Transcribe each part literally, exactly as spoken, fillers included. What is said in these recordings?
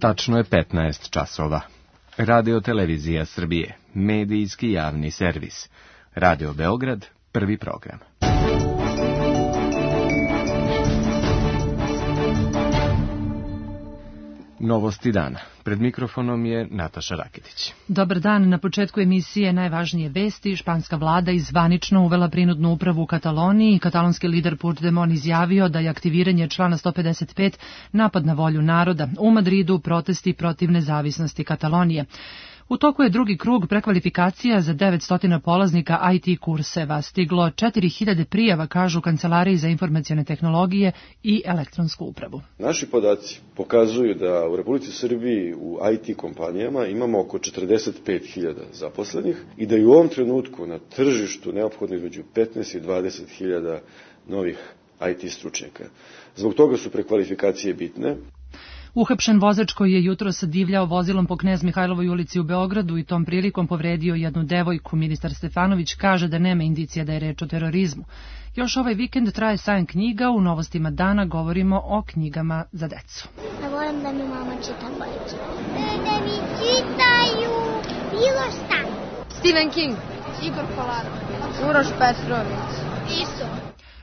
Tačno je petnaest časova. Radio Televizija Srbije, medijski javni servis. Radio Beograd, prvi program. Novosti dana. Pred mikrofonom je Nataša Raketić. Dobar dan. Na početku emisije najvažnije vesti. Španska vlada je zvanično uvela prinudnu upravu u Kataloniji. Katalonski lider Puigdemont izjavio da je aktiviranje člana sto pedeset pet napad na volju naroda. U Madridu protesti protiv nezavisnosti Katalonije. U toku je drugi krug prekvalifikacija za devetsto polaznika I T kurseva. Stiglo četiri hiljade prijava, kažu Kancelariji za informacione tehnologije i elektronsku upravu. Naši podaci pokazuju da u Republici Srbiji u I T kompanijama imamo oko četrdeset pet hiljada zaposlenih i da je u ovom trenutku na tržištu neophodno između petnaest i dvadeset hiljada novih I T stručnjaka. Zbog toga su prekvalifikacije bitne. Uhapšen vozač koji je jutros divljao vozilom po Knez Mihajlovoj ulici u Beogradu i tom prilikom povredio jednu devojku. Ministar Stefanović kaže da nema indicija da je reč o terorizmu. Još ovaj vikend traje sajam knjiga. U novostima dana govorimo o knjigama za decu. Ja volim da mi mama čita bajke. Da mi čitaju bilo šta. Stephen King, Igor Kolarov, Uroš Petrović, Iso.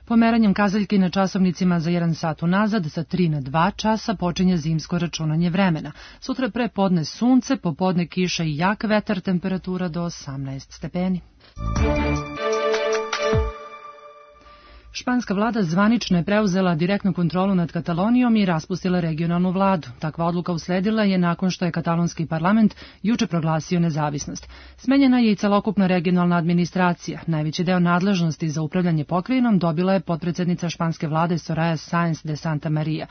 Pomeranjem kazaljke na časovnicima za jedan sat unazad, sa tri na dva časa počinje zimsko računanje vremena. Sutra pre podne sunce, popodne kiša i jak vetar, temperatura do osamnaest stepeni. Španska vlada zvanično je preuzela direktnu kontrolu nad Katalonijom i raspustila regionalnu vladu. Takva odluka usledila je nakon što je katalonski parlament juče proglasio nezavisnost. Smenjena je i celokupna regionalna administracija. Najveći deo nadležnosti za upravljanje pokrajinom dobila je potpredsednica španske vlade Soraya Sáenz de Santamaría.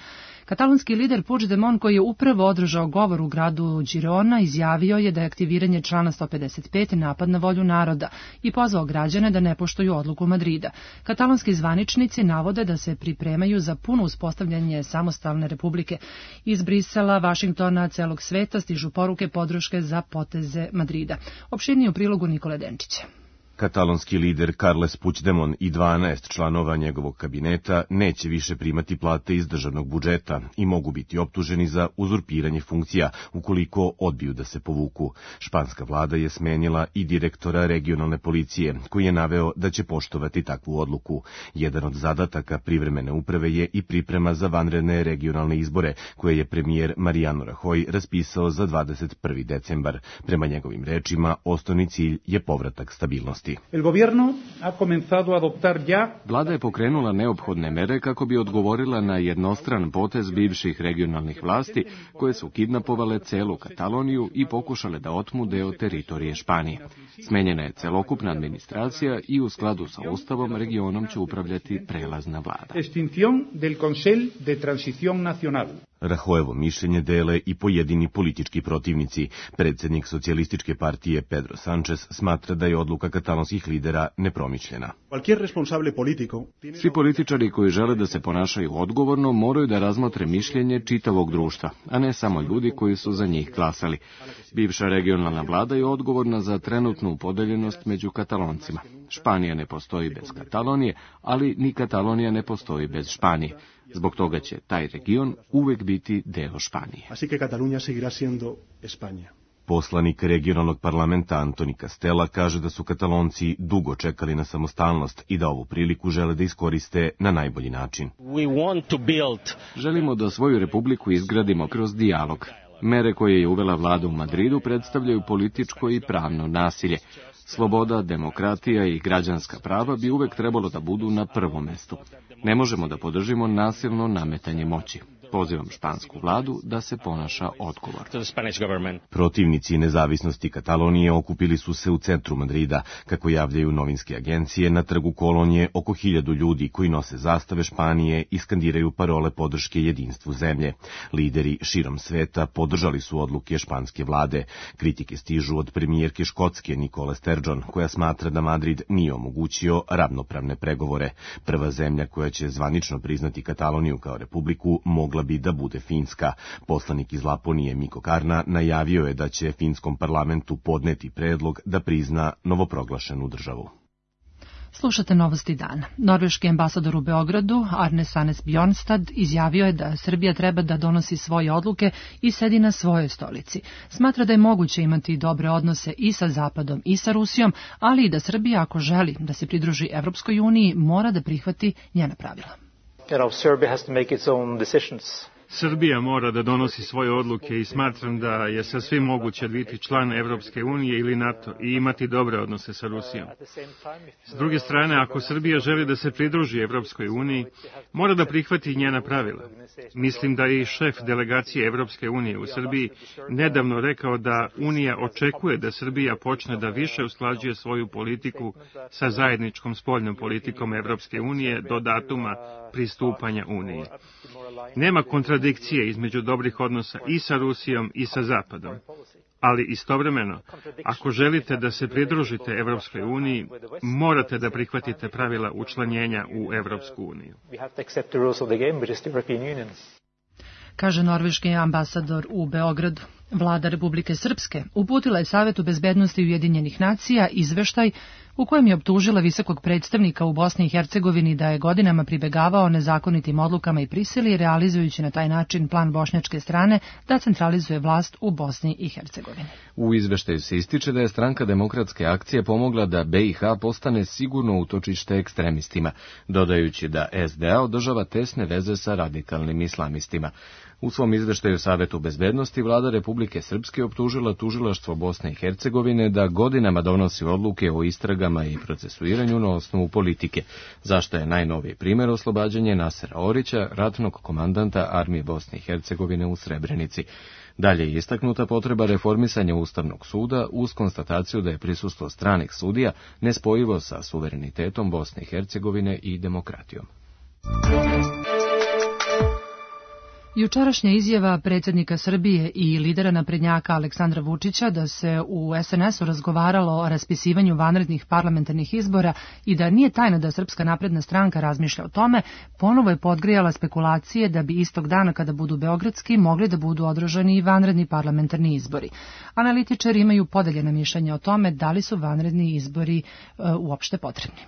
Katalonski lider Puigdemont, koji je upravo održao govor u gradu Girona, izjavio je da je aktiviranje člana sto pedeset pet napad na volju naroda i pozvao građane da ne poštuju odluku Madrida. Katalonski zvaničnici navode da se pripremaju za puno uspostavljanje samostalne republike. Iz Brisela, Vašingtona, celog sveta stižu poruke podrške za poteze Madrida. Opširnije u prilogu Nikole Denčića. Katalonski lider Carles Puigdemont i dvanaest članova njegovog kabineta neće više primati plate iz državnog budžeta i mogu biti optuženi za uzurpiranje funkcija ukoliko odbiju da se povuku. Španska vlada je smenila i direktora regionalne policije, koji je naveo da će poštovati takvu odluku. Jedan od zadataka privremene uprave je i priprema za vanredne regionalne izbore, koje je premijer Mariano Rajoy raspisao za dvadeset prvi decembar. Prema njegovim rečima, osnovni cilj je povratak stabilnosti. Vlada je pokrenula neophodne mere kako bi odgovorila na jednostran potez bivših regionalnih vlasti koje su kidnapovale celu Kataloniju i pokušale da otmu deo teritorije Španije. Smenjena je celokupna administracija i u skladu sa Ustavom regionom će upravljati prelazna vlada. Rajoyevo mišljenje dele i pojedini politički protivnici. Predsjednik socijalističke partije Pedro Sánchez smatra da je odluka katalonskih lidera nepromišljena. Svi političari koji žele da se ponašaju odgovorno moraju da razmotre mišljenje čitavog društva, a ne samo ljudi koji su za njih glasali. Bivša regionalna vlada je odgovorna za trenutnu podeljenost među Kataloncima. Španija ne postoji bez Katalonije, ali ni Katalonija ne postoji bez Španije. Zbog toga će taj region uvek biti deo Španije. Poslanik regionalnog parlamenta Antoni Castela kaže da su Katalonci dugo čekali na samostalnost i da ovu priliku žele da iskoriste na najbolji način. Želimo da svoju republiku izgradimo kroz dijalog. Mere koje je uvela vlada u Madridu predstavljaju političko i pravno nasilje. Sloboda, demokratija i građanska prava bi uvek trebalo da budu na prvom mestu. Ne možemo da podržimo nasilno nametanje moći. Pozivam špansku vladu da se ponaša odgovorno. Protivnici nezavisnosti Katalonije okupili su se u centru Madrida. Kako javljaju novinske agencije, na trgu Kolonije oko hiljadu ljudi koji nose zastave Španije i skandiraju parole podrške jedinstvu zemlje. Lideri širom sveta podržali su odluke španske vlade. Kritike stižu od premijerke Škotske Nicole Sturgeon, koja smatra da Madrid nije omogućio ravnopravne pregovore. Prva zemlja koja će zvanično priznati Kataloniju kao republiku mogla bi da bude Finska. Poslanik iz Laponije Mikko Karna najavio je da će finskom parlamentu podneti predlog da prizna novoproglašenu državu. Slušate novosti dana. Norveški ambasador u Beogradu, Arne Sanes Bjornstad, izjavio je da Srbija treba da donosi svoje odluke i sedi na svojoj stolici. Smatra da je moguće imati dobre odnose i sa Zapadom i sa Rusijom, ali i da Srbija, ako želi da se pridruži Evropskoj uniji, mora da prihvati njena pravila. You know, Serbia has to make its own decisions. Srbija mora da donosi svoje odluke i smatram da je sasvim moguće biti član Evropske unije ili NATO i imati dobre odnose sa Rusijom. S druge strane, ako Srbija želi da se pridruži Evropskoj uniji, mora da prihvati njena pravila. Mislim da je i šef delegacije Evropske unije u Srbiji nedavno rekao da Unija očekuje da Srbija počne da više usklađuje svoju politiku sa zajedničkom spoljnom politikom Evropske unije do datuma pristupanja Uniji. Nema kontradikcije između dobrih odnosa i sa Rusijom i sa Zapadom. Ali istovremeno, ako želite da se pridružite Evropskoj uniji, morate da prihvatite pravila učlanjenja u Evropsku uniju. Kaže norveški ambasador u Beogradu. Vlada Republike Srpske uputila je Savetu bezbednosti Ujedinjenih nacija izveštaj u kojem je optužila visokog predstavnika u Bosni i Hercegovini da je godinama pribegavao nezakonitim odlukama i prisili, realizujući na taj način plan bošnjačke strane da centralizuje vlast u Bosni i Hercegovini. U izveštaju se ističe da je Stranka demokratske akcije pomogla da B i H postane sigurno utočište ekstremistima, dodajući da S D A održava tesne veze sa radikalnim islamistima. U svom izveštaju Savetu bezbednosti vlada Republike Srpske optužila tužilaštvo Bosne i Hercegovine da godinama donosi odluke o istragama i procesuiranju na osnovu politike, zašto je najnoviji primjer oslobađanje Nasera Orića, ratnog komandanta armije Bosne i Hercegovine u Srebrenici. Dalje je istaknuta potreba reformisanja Ustavnog suda uz konstataciju da je prisustvo stranih sudija nespojivo sa suverenitetom Bosne i Hercegovine i demokratijom. Jučerašnja izjava predsjednika Srbije i lidera naprednjaka Aleksandra Vučića da se u S N S-u razgovaralo o raspisivanju vanrednih parlamentarnih izbora i da nije tajna da Srpska napredna stranka razmišlja o tome, ponovo je podgrijala spekulacije da bi istog dana kada budu beogradski mogli da budu održani i vanredni parlamentarni izbori. Analitičari imaju podeljena mišljenja o tome da li su vanredni izbori e, uopšte potrebni.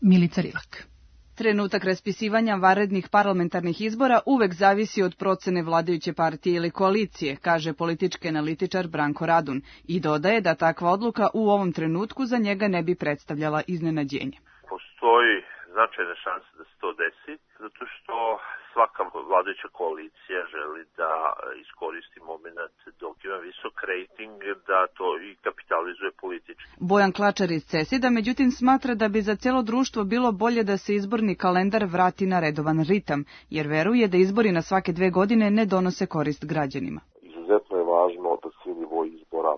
Milica Rilak. Trenutak raspisivanja vanrednih parlamentarnih izbora uvek zavisi od procene vladajuće partije ili koalicije, kaže politički analitičar Branko Radun i dodaje da takva odluka u ovom trenutku za njega ne bi predstavljala iznenađenje. Postoji značajne šanse da se to desi, zato što svaka vladajuća koalicija želi da iskoristi moment dok ima visok rejting, da to i kapitalizuje politički. Bojan Klačar iz Cesida, međutim, smatra da bi za cijelo društvo bilo bolje da se izborni kalendar vrati na redovan ritam, jer veruje da izbori na svake dve godine ne donose korist građanima. Izuzetno je važno da svi nivoji izbora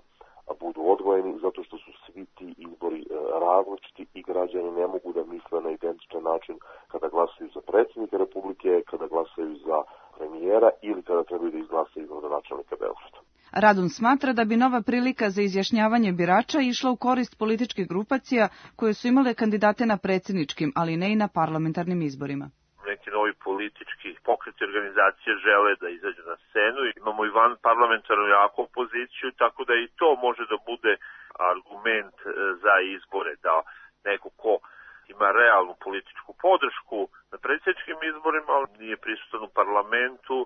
budu odvojeni, zato što su svi ti izbori različiti i građani ne mogu da misle na identičan način kada glasaju za predsjednika Republike, kada glasaju za premijera ili kada trebaju da izglasaju za gradonačelnika Beograda. Radun smatra da bi nova prilika za izjašnjavanje birača išla u korist političkih grupacija koje su imale kandidate na predsjedničkim, ali ne i na parlamentarnim izborima. Neki novi politički pokreti organizacije žele da izađu na scenu. Imamo i van parlamentarnu jaku opoziciju, tako da i to može da bude argument za izbore, da neko ko ima realnu političku podršku na predsjedničkim izborima, ali nije prisutan u parlamentu,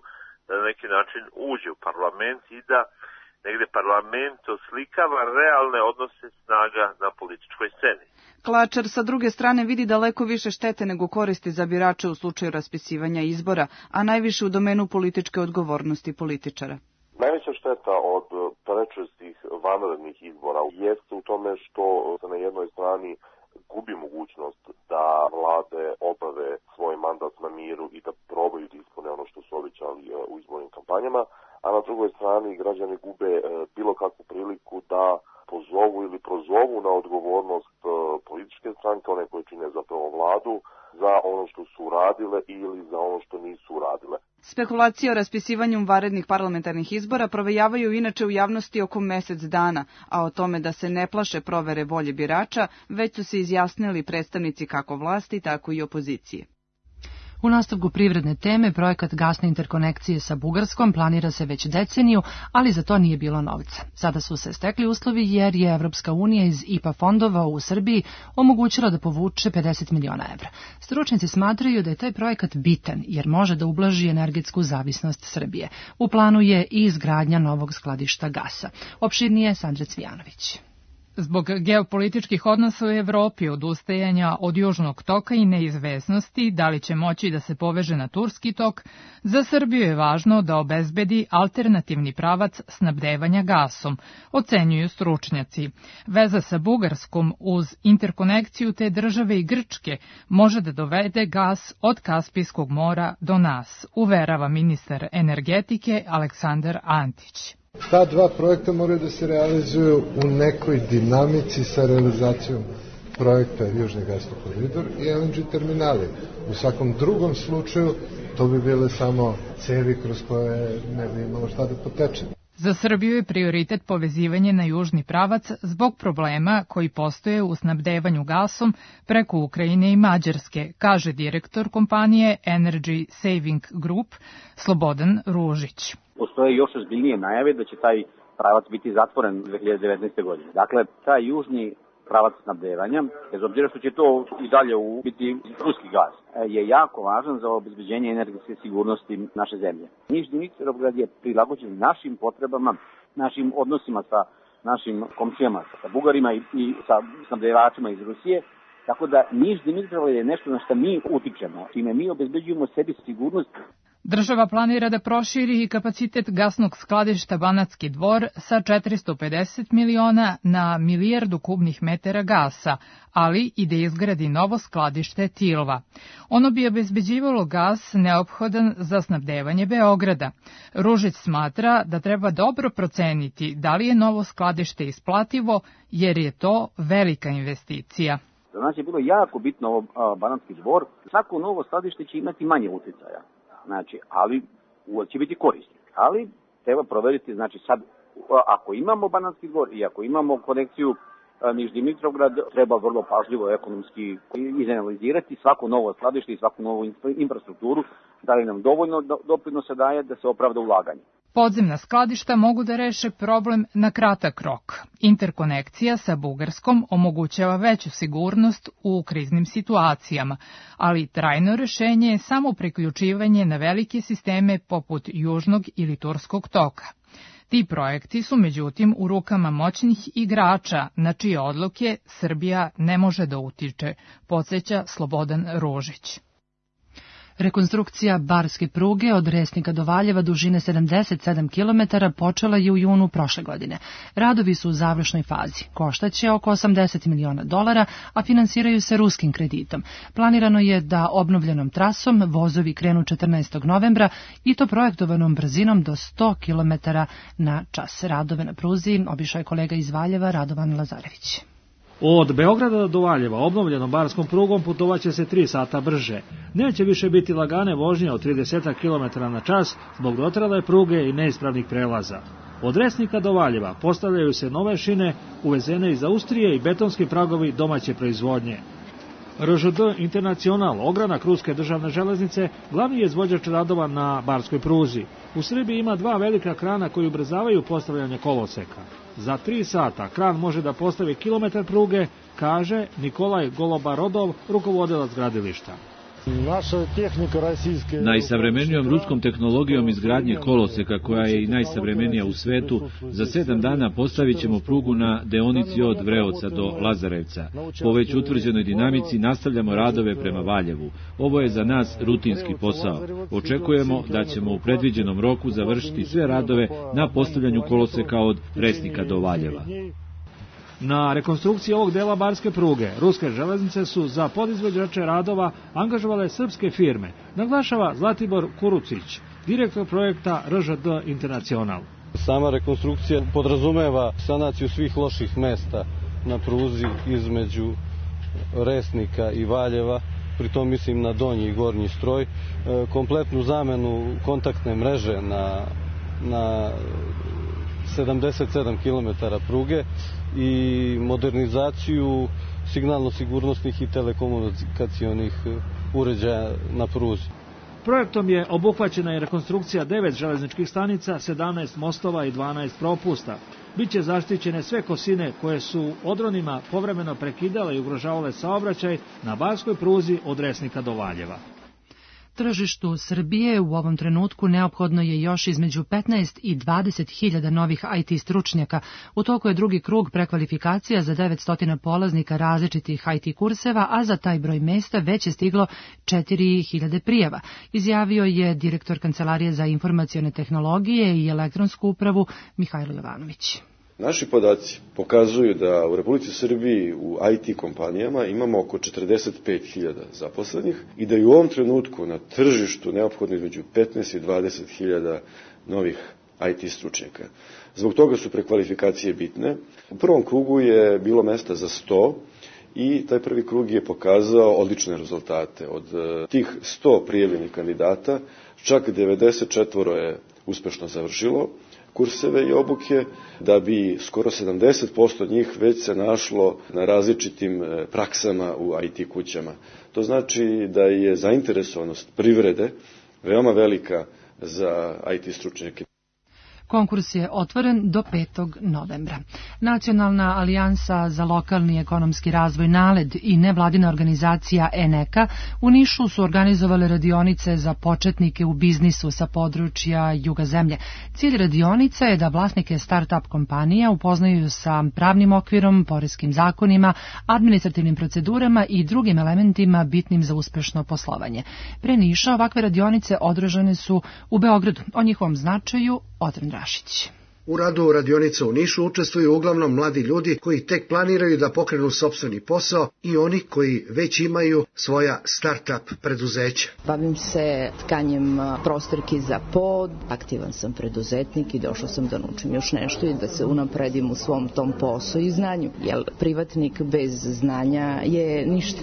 da na neki način uđe u parlament i da negde parlament oslikava realne odnose snaga na političkoj sceni. Klačar sa druge strane vidi daleko više štete nego koristi za birače u slučaju raspisivanja izbora, a najviše u domenu političke odgovornosti političara. Najveća šteta od prečestih vanrednih izbora jeste u tome što se na jednoj strani gubi mogućnost da vlade obave svoj mandat na miru i da probaju da ispune ono što su obećali u izbornim kampanjama, a na drugoj strani građani gube bilo kakvu priliku da pozovu ili prozovu na odgovornost političke stranke, one koje čine zapravo vladu, za ono što su uradile ili za ono što nisu uradile. Spekulacije o raspisivanju vanrednih parlamentarnih izbora provejavaju inače u javnosti oko mesec dana, a o tome da se ne plaše provere volje birača, već su se izjasnili predstavnici kako vlasti, tako i opozicije. U nastavku privredne teme, projekat gasne interkonekcije sa Bugarskom planira se već deceniju, ali za to nije bilo novca. Sada su se stekli uslovi jer je Evropska unija iz I P A fondova u Srbiji omogućila da povuče pedeset miliona evra. Stručnjaci smatraju da je taj projekat bitan jer može da ublaži energetsku zavisnost Srbije. U planu je i izgradnja novog skladišta gasa. Opširnije Sandra Cvijanović. Zbog geopolitičkih odnosa u Evropi, odustajanja od južnog toka i neizvesnosti da li će moći da se poveže na turski tok, za Srbiju je važno da obezbedi alternativni pravac snabdevanja gasom, ocenjuju stručnjaci. Veza sa Bugarskom uz interkonekciju te države i Grčke može da dovede gas od Kaspijskog mora do nas, uverava ministar energetike Aleksandar Antić. Ta dva projekta moraju da se realizuju u nekoj dinamici sa realizacijom projekta Južni gasni koridor i L N G terminali. U svakom drugom slučaju to bi bile samo cevi kroz koje ne bi imalo šta da poteče. Za Srbiju je prioritet povezivanje na južni pravac zbog problema koji postoje u snabdevanju gasom preko Ukrajine i Mađarske, kaže direktor kompanije Energy Saving Group Slobodan Ružić. Postoje još ozbiljnije najave da će taj pravac biti zatvoren dve hiljade devetnaeste. godine. Dakle, taj južni pravac snabdevanja, bez obzira što će to i dalje biti ruski gas, je jako važan za obezbeđenje energetske sigurnosti naše zemlje. Nižni Dimitrovgrad je prilagođen našim potrebama, našim odnosima sa našim komšijama, sa Bugarima i, i sa snabdevačima iz Rusije, tako da Niš Dimitrovgrad je nešto na što mi utičemo, čime mi obezbeđujemo sebi sigurnost. Država planira da proširi i kapacitet gasnog skladišta Banatski Dvor sa četiristo pedeset miliona na milijardu kubnih metara gasa, ali i da izgradi novo skladište Tilva. Ono bi obezbeđivalo gas neophodan za snabdevanje Beograda. Ružić smatra da treba dobro proceniti da li je novo skladište isplativo, jer je to velika investicija. Za nas je bilo jako bitno ovo Banatski Dvor. Svako novo skladište će imati manje uticaja. Znači, ali će biti korisno. Ali treba proveriti, znači sad, ako imamo Banatski Dvor i ako imamo konekciju Niš Dimitrovgrad, treba vrlo pažljivo ekonomski izanalizirati svako novo skladište i svaku novu infrastrukturu, da li nam dovoljno doprinosa daje da se opravda ulaganje. Podzemna skladišta mogu da reše problem na kratak rok. Interkonekcija sa Bugarskom omogućava veću sigurnost u kriznim situacijama, ali trajno rešenje je samo priključivanje na velike sisteme poput južnog ili turskog toka. Ti projekti su međutim u rukama moćnih igrača na čije odluke Srbija ne može da utiče, podsjeća Slobodan Ružić. Rekonstrukcija barske pruge od Resnika do Valjeva dužine sedamdeset sedam kilometara počela je u junu prošle godine. Radovi su u završnoj fazi. Koštaće oko osamdeset miliona dolara, a finansiraju se ruskim kreditom. Planirano je da obnovljenom trasom vozovi krenu četrnaestog novembra i to projektovanom brzinom do sto kilometara na čas. Radove na pruzi obišao je kolega iz Valjeva Radovan Lazarević. Od Beograda do Valjeva obnovljenom barskom prugom putovaće se tri sata brže. Neće više biti lagane vožnje od trideset kilometara na čas zbog dotrajale pruge i neispravnih prelaza. Od Resnika do Valjeva postavljaju se nove šine uvezene iz Austrije i betonski pragovi domaće proizvodnje. R Ž D Internacional, ogranak ruske državne železnice, glavni je izvođač radova na barskoj pruzi. U Srbiji ima dva velika krana koji ubrzavaju postavljanje koloseka. Za tri sata kran može da postavi kilometar pruge, kaže Nikolaj Golobarodov, rukovodilac gradilišta. Najsavremenijom ruskom tehnologijom izgradnje koloseka, koja je i najsavremenija u svetu, za sedam dana postavit ćemo prugu na deonici od Vreoca do Lazarevca. Po već utvrđenoj dinamici nastavljamo radove prema Valjevu. Ovo je za nas rutinski posao. Očekujemo da ćemo u predviđenom roku završiti sve radove na postavljanju koloseka od Resnika do Valjeva. Na rekonstrukciji ovog dela barske pruge, ruske železnice su za podizvođače radova angažovale srpske firme, naglašava Zlatibor Kurucić, direktor projekta R Ž D Internacional. Sama rekonstrukcija podrazumeva sanaciju svih loših mesta na pruzi između Resnika i Valjeva, pritom mislim na donji i gornji stroj, kompletnu zamenu kontaktne mreže na, na sedamdeset sedam kilometara pruge i modernizaciju signalno-sigurnosnih i telekomunikacionih uređaja na pruzi. Projektom je obuhvaćena i rekonstrukcija devet železničkih stanica, sedamnaest mostova i dvanaest propusta. Biće zaštićene sve kosine koje su odronima povremeno prekidale i ugrožavale saobraćaj na barskoj pruzi od Resnika do Valjeva. Tržištu Srbije u ovom trenutku neophodno je još između petnaest i dvadeset hiljada novih I T stručnjaka. U toku je drugi krug prekvalifikacija za devetsto polaznika različitih I T kurseva, a za taj broj mesta već je stiglo četiri hiljade prijava, izjavio je direktor Kancelarije za informacione tehnologije i elektronsku upravu Mihajlo Jovanović. Naši podaci pokazuju da u Republici Srbiji u I T kompanijama imamo oko četrdeset pet hiljada zaposlenih i da je u ovom trenutku na tržištu neophodno između petnaest i dvadeset hiljada novih I T stručnjaka. Zbog toga su prekvalifikacije bitne. U prvom krugu je bilo mesta za sto i taj prvi krug je pokazao odlične rezultate. Od tih sto prijavljenih kandidata čak devedeset četiri je uspešno završilo kurseve i obuke, da bi skoro sedamdeset posto njih već se našlo na različitim praksama u I T kućama. To znači da je zainteresovanost privrede veoma velika za I T stručnjake. Konkurs je otvoren do petog novembra. Nacionalna alijansa za lokalni ekonomski razvoj NALED i nevladina organizacija ENEKA u Nišu su organizovale radionice za početnike u biznisu sa područja juga zemlje. Cilj radionica je da vlasnike start-up kompanija upoznaju sa pravnim okvirom, poreskim zakonima, administrativnim procedurama i drugim elementima bitnim za uspešno poslovanje. Pre Niša ovakve radionice održane su u Beogradu. O njihovom značaju Odren Rašić. U radu radionica u Nišu učestvuju uglavnom mladi ljudi koji tek planiraju da pokrenu sopstveni posao i oni koji već imaju svoja start-up preduzeća. Bavim se tkanjem prostorki za pod, aktivan sam preduzetnik i došao sam da naučim još nešto i da se unapredim u svom tom poslu i znanju, jer privatnik bez znanja je ništa.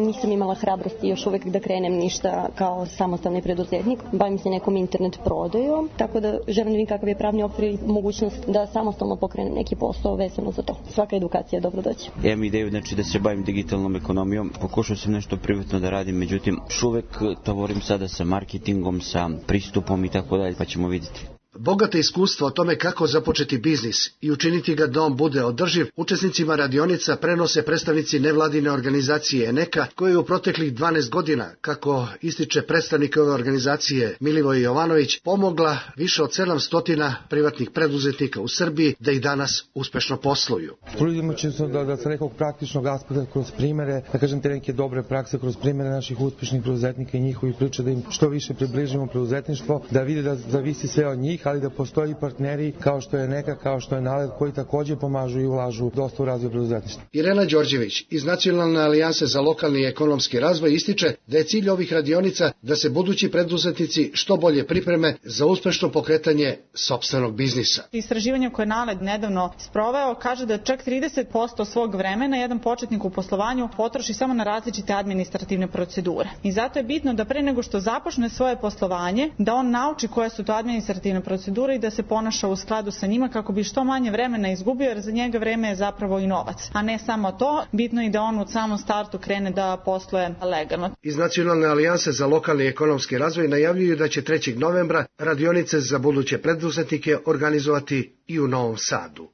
Nisam imala hrabrosti još uvek da krenem ništa kao samostalni preduzetnik. Bavim se nekom internet prodajom, tako da želim da vidim kakav je pravni okvir mogućnost da samostalno pokrenem neki posao vezano za to. Svaka edukacija je dobro doći. Ja imam ideju znači, da se bavim digitalnom ekonomijom. Pokušao sam nešto privatno da radim, međutim, još uvek tavorim sada sa marketingom, sa pristupom i tako dalje, pa ćemo vidjeti. Bogate iskustvo o tome kako započeti biznis i učiniti ga da on bude održiv, učesnicima radionica prenose predstavnici nevladine organizacije ENEKA, koje je u proteklih dvanaest godina, kako ističe predstavnik ove organizacije Milivoj Jovanović, pomogla više od sedamsto privatnih preduzetnika u Srbiji da ih danas uspešno posluju. Trudimo će se da, da sa nekog praktičnog aspekta kroz primere, da kažem te neke dobre prakse, kroz primere naših uspešnih preduzetnika i njihovih priča, da im što više približimo preduzetništvo, da vide da zavisi sve od njih, ali da postoji partneri kao što je ENEKA, kao što je NALED, koji također pomažu i ulažu dosta u razvoj preduzetništva. Irena Đorđević iz Nacionalne alijanse za lokalni i ekonomski razvoj ističe da je cilj ovih radionica da se budući preduzetnici što bolje pripreme za uspešno pokretanje sopstvenog biznisa. Istraživanje koje je NALED nedavno sproveo kaže da čak trideset posto svog vremena jedan početnik u poslovanju potroši samo na različite administrativne procedure. I zato je bitno da pre nego što započne svoje poslovanje, da on nauči koje su to administrativne procedure i da se ponaša u skladu sa njima kako bi što manje vremena izgubio, jer za njega vreme je zapravo i novac. A ne samo to, bitno je da on u samom startu krene da posluje legalno. Iz Nacionalne alijanse za lokalni i ekonomski razvoj najavljuju da će trećeg novembra radionice za buduće preduzetnike organizovati i u Novom Sadu.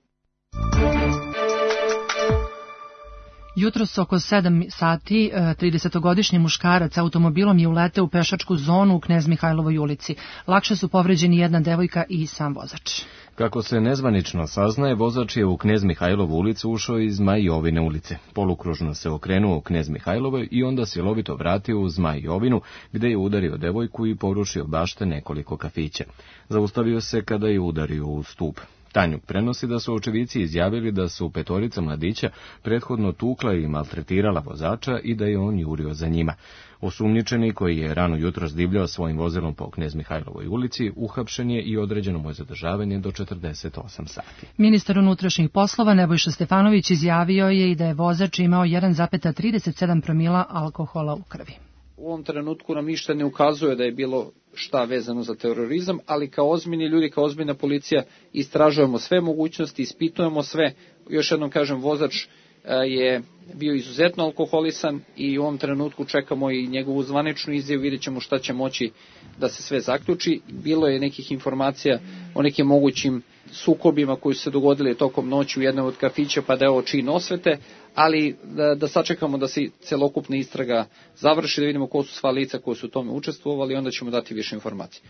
Jutros oko sedam sati tridesetogodišnji muškarac automobilom je uleteo u pešačku zonu u Knez Mihajlovoj ulici. Lakše su povređeni jedna devojka i sam vozač. Kako se nezvanično saznaje, vozač je u Knez Mihajlovu ulicu ušao iz Zmaj Jovine ulice. Polukružno se okrenuo u Knez Mihajlovoj i onda silovito vratio u Zmaj Jovinu, gde je udario devojku i porušio bašte nekoliko kafića. Zaustavio se kada je udario u stup. Tanjuk prenosi da su očevici izjavili da su petorica mladića prethodno tukla i maltretirala vozača i da je on jurio za njima. Osumnjičeni, koji je rano jutros divljao svojim vozilom po Knez Mihajlovoj ulici, uhapšen je i određeno mu je zadržavanje do četrdeset osam sati. Ministar unutrašnjih poslova Nebojša Stefanović izjavio je i da je vozač imao jedan zarez trideset sedam promila alkohola u krvi. U ovom trenutku nam ništa ne ukazuje da je bilo šta vezano za terorizam, ali kao ozbiljni ljudi, kao ozbiljna policija istražujemo sve mogućnosti, ispitujemo sve. Još jednom kažem, vozač je bio izuzetno alkoholisan i u ovom trenutku čekamo i njegovu zvaničnu izjavu, vidjet ćemo šta će moći da se sve zaključi. Bilo je nekih informacija o nekim mogućim sukobima koji su se dogodili tokom noći u jednom od kafića, pa da je ovo čin osvete, ali da, da sačekamo da se celokupna istraga završi, da vidimo ko su sva lica koji su u tome učestvovali, onda ćemo dati više informacije.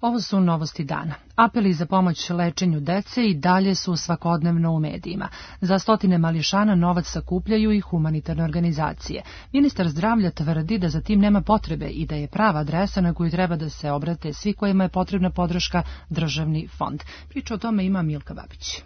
Ovo su novosti dana. Apeli za pomoć lečenju dece i dalje su svakodnevno u medijima. Za stotine mališana novac sakupljaju i humanitarne organizacije. Ministar zdravlja tvrdi da za tim nema potrebe i da je prava adresa na koju treba da se obrate svi kojima je potrebna podrška državni fond. Priča o tome ima Milka Babić.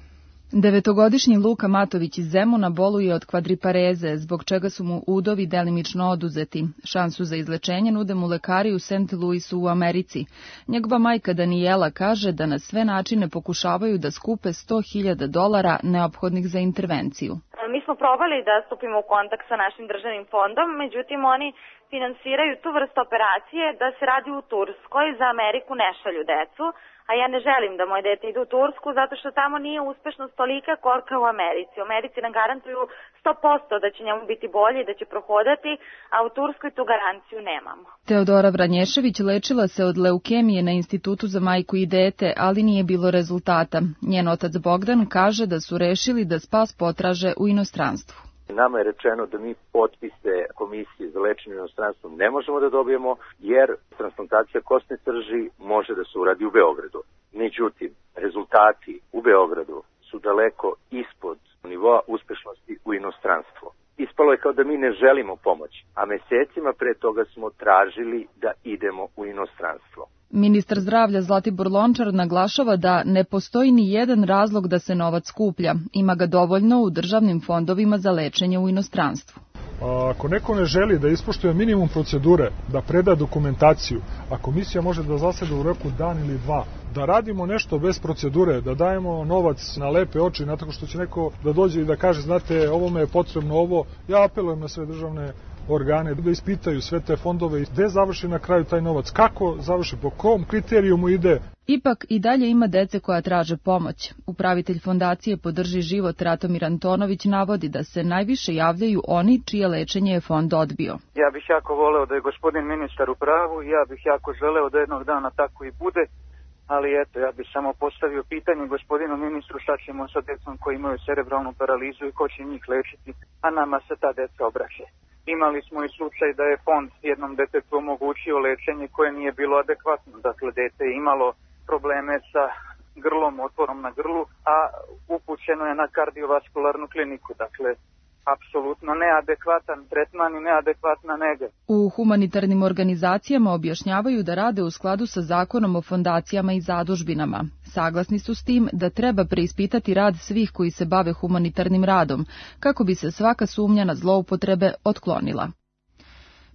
Devetogodišnji Luka Matović iz Zemuna boluje od kvadripareze, zbog čega su mu udovi delimično oduzeti. Šansu za izlečenje nude mu lekari u Saint Louisu u Americi. Njegova majka Danijela kaže da na sve načine pokušavaju da skupe sto hiljada dolara neophodnih za intervenciju. Mi smo probali da stupimo u kontakt sa našim državnim fondom, međutim oni finansiraju tu vrstu operacije da se radi u Turskoj, za Ameriku ne šalju decu. A ja ne želim da moje dete ide u Tursku zato što tamo nije uspešnost tolika kolika u Americi. U Americi nam garantuju sto posto da će njemu biti bolje i da će prohodati, a u Turskoj tu garanciju nemamo. Teodora Vranješević lečila se od leukemije na Institutu za majku i dete, ali nije bilo rezultata. Njen otac Bogdan kaže da su rešili da spas potraže u inostranstvu. Nama je rečeno da mi potpise komisije za lečenje u inostranstvu ne možemo da dobijemo, jer transplantacija kostne srži može da se uradi u Beogradu. Međutim, rezultati u Beogradu su daleko ispod nivoa uspešnosti u inostranstvu. Ispalo je kao da mi ne želimo pomoć, a mesecima pre toga smo tražili da idemo u inostranstvo. Ministar zdravlja Zlatibor Lončar naglašava da ne postoji ni jedan razlog da se novac skuplja. Ima ga dovoljno u državnim fondovima za lečenje u inostranstvu. Ako neko ne želi da ispoštuje minimum procedure, da preda dokumentaciju, a komisija može da zaseda u roku dan ili dva, da radimo nešto bez procedure, da dajemo novac na lepe oči, na tako što će neko da dođe i da kaže, znate, ovo me je potrebno ovo, ja apelujem na sve državne organe da ispitaju sve te fondove i gde završi na kraju taj novac, kako završi, po kom kriterijumu ide. Ipak i dalje ima dece koja traže pomoć. Upravitelj fondacije Podrži život Ratomir Antonović navodi da se najviše javljaju oni čije lečenje je fond odbio. Ja bih jako voleo da je gospodin ministar u pravu, ja bih jako želeo da jednog dana tako i bude, ali eto, ja bih samo postavio pitanje gospodinu ministru šta ćemo sa decom koji imaju cerebralnu paralizu i ko će njih lečiti, a nama se ta deca obraća. Imali smo i slučaj da je fond jednom detetu omogućio lečenje koje nije bilo adekvatno. Dakle, dete je imalo probleme sa grlom, otvorom na grlu, a upućeno je na kardiovaskularnu kliniku. Dakle, apsolutno neadekvatan tretman i neadekvatna nega. U humanitarnim organizacijama objašnjavaju da rade u skladu sa zakonom o fondacijama i zadužbinama. Saglasni su s tim da treba preispitati rad svih koji se bave humanitarnim radom, kako bi se svaka sumnja na zloupotrebe otklonila.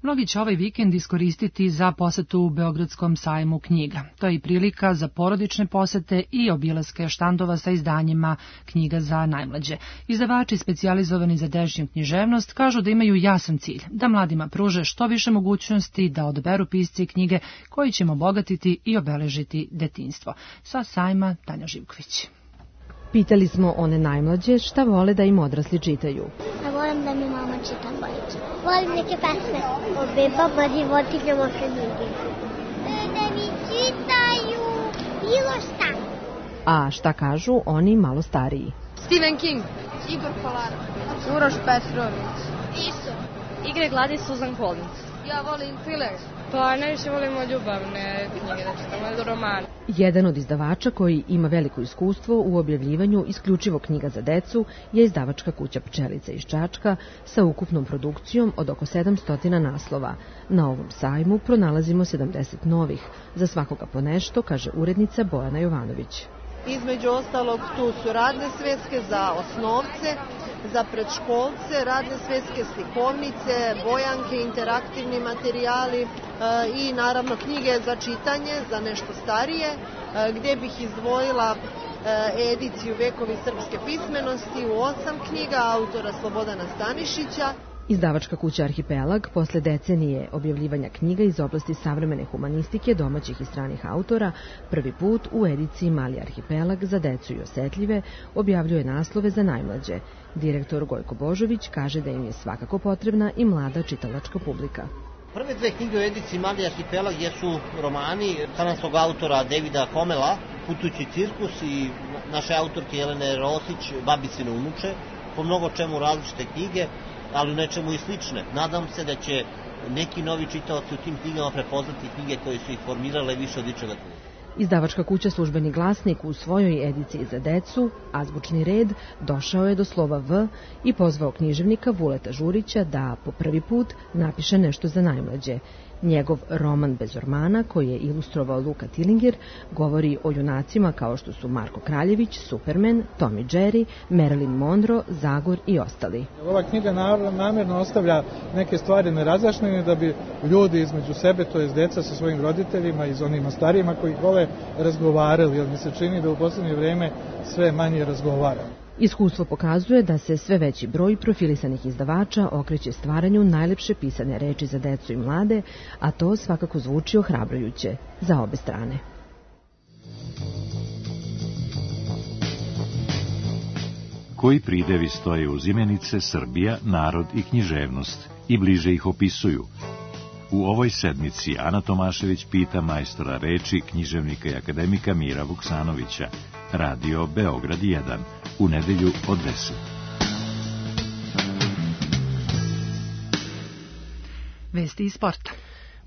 Mnogi će ovaj vikend iskoristiti za posetu u Beogradskom sajmu knjiga. To je i prilika za porodične posete i obilaske štandova sa izdanjima knjiga za najmlađe. Izdavači specijalizovani za dežnju književnost kažu da imaju jasan cilj, da mladima pruže što više mogućnosti da odaberu pisci knjige koji će im obogatiti i obeležiti detinjstvo. Sa sajma Tanja Živković. Pitali smo one najmlađe šta vole da im odrasli čitaju. Ja volim da mi mama čita bajke. Volim neke pesme o bebama, životinjama, knjige. Da mi čitaju bilo šta. A šta kažu oni malo stariji? Stephen King, Igor Kolarov, Uroš Petrović, Iso, Igre gladi Susan Collins. Ja volim thriller. Pa najviše volimo ljubavne knjige, da čitamo romane. Jedan od izdavača koji ima veliko iskustvo u objavljivanju isključivo knjiga za decu je izdavačka kuća Pčelica iz Čačka sa ukupnom produkcijom od oko sedamsto naslova. Na ovom sajmu pronalazimo sedamdeset novih. Za svakoga po nešto, kaže urednica Bojana Jovanović. Između ostalog tu su radne sveske za osnovce, za predškolce, radne sveske, slikovnice, bojanke, interaktivni materijali e, i naravno knjige za čitanje, za nešto starije, e, gdje bih izdvojila e, ediciju Vekovi srpske pismenosti u osam knjiga autora Slobodana Stanišića. Izdavačka kuća Arhipelag posle decenije objavljivanja knjiga iz oblasti savremene humanistike domaćih i stranih autora prvi put u ediciji Mali arhipelag za decu i osetljive objavljuje naslove za najmlađe. Direktor Gojko Božović kaže da im je svakako potrebna i mlada čitalačka publika. Prve dve knjige u ediciji Mali arhipelag jesu romani kanadskog autora Davida Komela, Putujući cirkus, i naše autorke Jelene Rosić, Babicine unuče, po mnogo čemu različite knjige, ali u nečemu i slične. Nadam se da će neki novi čitaoci u tim knjigama prepoznati knjige koje su ih formirale više od ičega druga. Izdavačka kuća Službeni glasnik u svojoj ediciji za decu, Azbučni red, došao je do slova V i pozvao književnika Vuleta Žurića da po prvi put napiše nešto za najmlađe. Njegov roman Bez ormana, koji je ilustrovao Luka Tilinger, govori o junacima kao što su Marko Kraljević, Superman, Tom i Jerry, Marilyn Monroe, Zagor i ostali. Ova knjiga namjerno ostavlja neke stvari nerazjašnjene da bi ljudi između sebe, to jest deca sa svojim roditeljima i onima starijima koji ih vole, razgovarali, jer mi se čini da u posljednje vrijeme sve manje razgovaramo. Iskustvo pokazuje da se sve veći broj profilisanih izdavača okreće stvaranju najlepše pisane reči za decu i mlade, a to svakako zvuči ohrabrujuće za obe strane. Koji pridevi stoje uz imenice Srbija, narod i književnost i bliže ih opisuju? U ovoj sedmici Ana Tomašević pita majstora reči, književnika i akademika Mira Vuksanovića. Radio Beograd jedan, u nedelju od deset. Vesti iz sporta.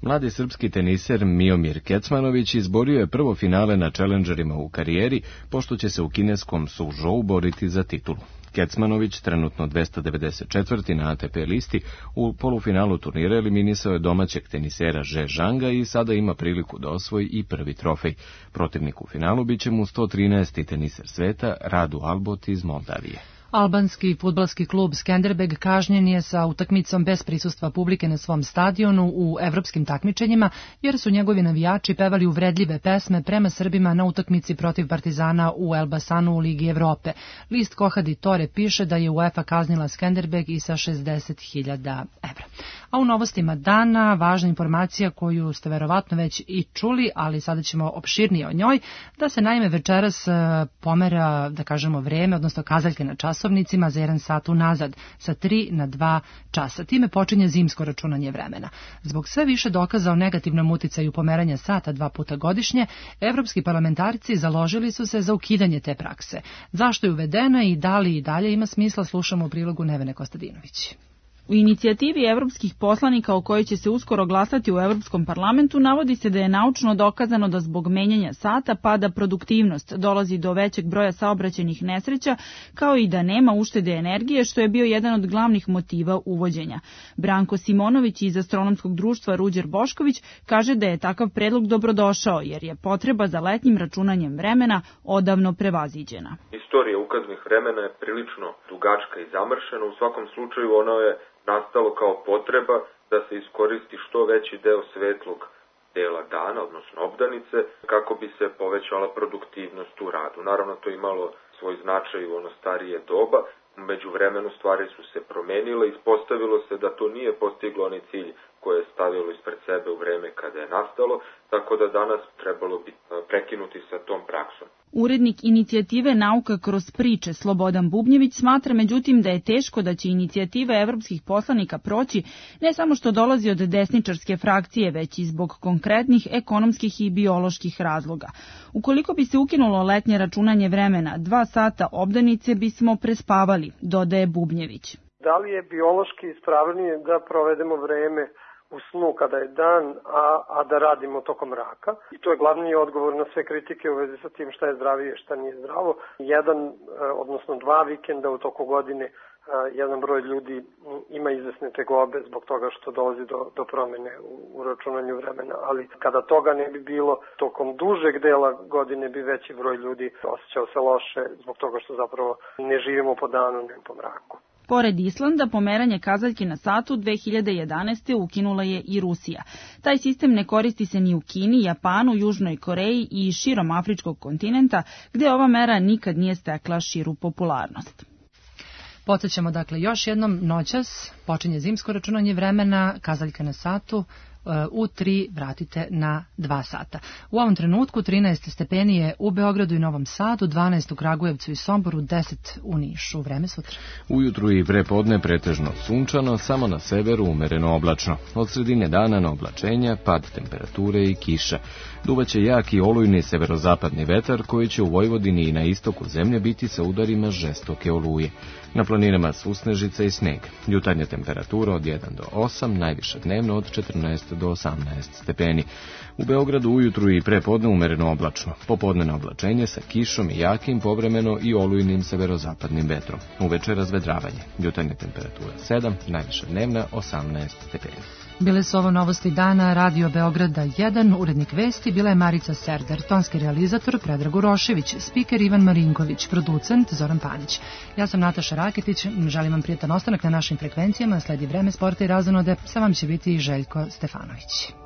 Mladi srpski teniser Miomir Kecmanović izborio je prvo finale na Challengerima u karijeri, pošto će se u kineskom Suzhou boriti za titulu. Kecmanović, trenutno dvesta devedeset četvrti na A T P listi, u polufinalu turnira eliminisao je domaćeg tenisera Že Zhanga i sada ima priliku da osvoji i prvi trofej. Protivnik u finalu biće mu sto trinaesti teniser sveta Radu Albot iz Moldavije. Albanski fudbalski klub Skenderbeg kažnjen je sa utakmicom bez prisustva publike na svom stadionu u evropskim takmičenjima, jer su njegovi navijači pevali uvredljive pesme prema Srbima na utakmici protiv Partizana u Elbasanu u Ligi Evrope. List Kohadi Tore piše da je UEFA kaznila Skenderbeg i sa šezdeset hiljada evra. A u novostima dana, važna informacija koju ste verovatno već i čuli, ali sada ćemo opširnije o njoj, da se naime večeras pomera, da kažemo, vreme, odnosno kazaljke na časovnicima za jedan sat unazad, sa tri na dva časa. Time počinje zimsko računanje vremena. Zbog sve više dokaza o negativnom uticaju pomeranja sata dva puta godišnje, evropski parlamentarci založili su se za ukidanje te prakse. Zašto je uvedena i da li i dalje ima smisla, slušamo u prilogu Nevene Kostadinović. U inicijativi evropskih poslanika o kojoj će se uskoro glasati u Evropskom parlamentu navodi se da je naučno dokazano da zbog menjanja sata pada produktivnost, dolazi do većeg broja saobraćajnih nesreća, kao i da nema uštede energije, što je bio jedan od glavnih motiva uvođenja. Branko Simonović iz Astronomskog društva Ruđer Bošković kaže da je takav predlog dobrodošao, jer je potreba za letnjim računanjem vremena odavno prevaziđena. Istorija ukaznih vremena je prilično dugačka i zamršena, u svakom slučaju ono je nastalo kao potreba da se iskoristi što veći deo svetlog dela dana, odnosno obdanice, kako bi se povećala produktivnost u radu. Naravno, to je imalo svoj značaj u ono starije doba, među vremenu stvari su se promenile, ispostavilo se da to nije postiglo onaj cilj koje je stavilo ispred sebe u vreme kada je nastalo, tako da danas trebalo bi prekinuti sa tom praksom. Urednik inicijative Nauka kroz priče Slobodan Bubnjević smatra međutim da je teško da će inicijativa evropskih poslanika proći, ne samo što dolazi od desničarske frakcije, već i zbog konkretnih ekonomskih i bioloških razloga. Ukoliko bi se ukinulo letnje računanje vremena, dva sata obdanice bismo prespavali, dodaje Bubnjević. Da li je biološki ispravnije da provedemo vreme u snu kada je dan, a, a da radimo tokom mraka? I to je glavni odgovor na sve kritike u vezi sa tim šta je zdravije, šta nije zdravo. Jedan, odnosno dva vikenda u toku godine, jedan broj ljudi ima izvesne tegobe zbog toga što dolazi do, do promene u, u računanju vremena, ali kada toga ne bi bilo, tokom dužeg dela godine bi veći broj ljudi osjećao se loše zbog toga što zapravo ne živimo po danu, ne po mraku. Pored Islanda, pomeranje kazaljke na satu dve hiljade jedanaeste. ukinula je i Rusija. Taj sistem ne koristi se ni u Kini, Japanu, Južnoj Koreji i širom afričkog kontinenta, gde ova mera nikad nije stekla širu popularnost. Podsjećamo dakle još jednom, noćas počinje zimsko računanje vremena, kazaljka na satu, u tri vratite na dva sata. U ovom trenutku trinaest stepeni je u Beogradu i Novom Sadu, dvanaest u Kragujevcu i Somboru, deset u Nišu. Vreme sutra. Ujutru i prepodne pretežno sunčano, samo na severu umereno oblačno. Od sredine dana na oblačenja, pad temperature i kiša. Duvaće jak i olujni severozapadni vetar koji će u Vojvodini i na istoku zemlje biti sa udarima žestoke oluje. Na planinama susnežica i sneg. Jutarnja temperatura od jedan do osam, najviša dnevno od četrnaest do osamnaest stepeni. U Beogradu ujutru i prepodne umereno oblačno. Popodneno oblačenje sa kišom i jakim, povremeno i olujnim severozapadnim vetrom. Uveče razvedravanje. Jutarnja temperatura sedam, najviša dnevna osamnaest stepeni. Bile su ovo novosti dana Radio Beograda jedan, urednik vesti bila je Marica Serdar, tonski realizator Predrag Urošević, spiker Ivan Marinković, producent Zoran Panić. Ja sam Nataša Raketić, želim vam prijetan ostanak na našim frekvencijama, sledi vreme sporta i razonode, sa vam će biti i Željko Stefanović.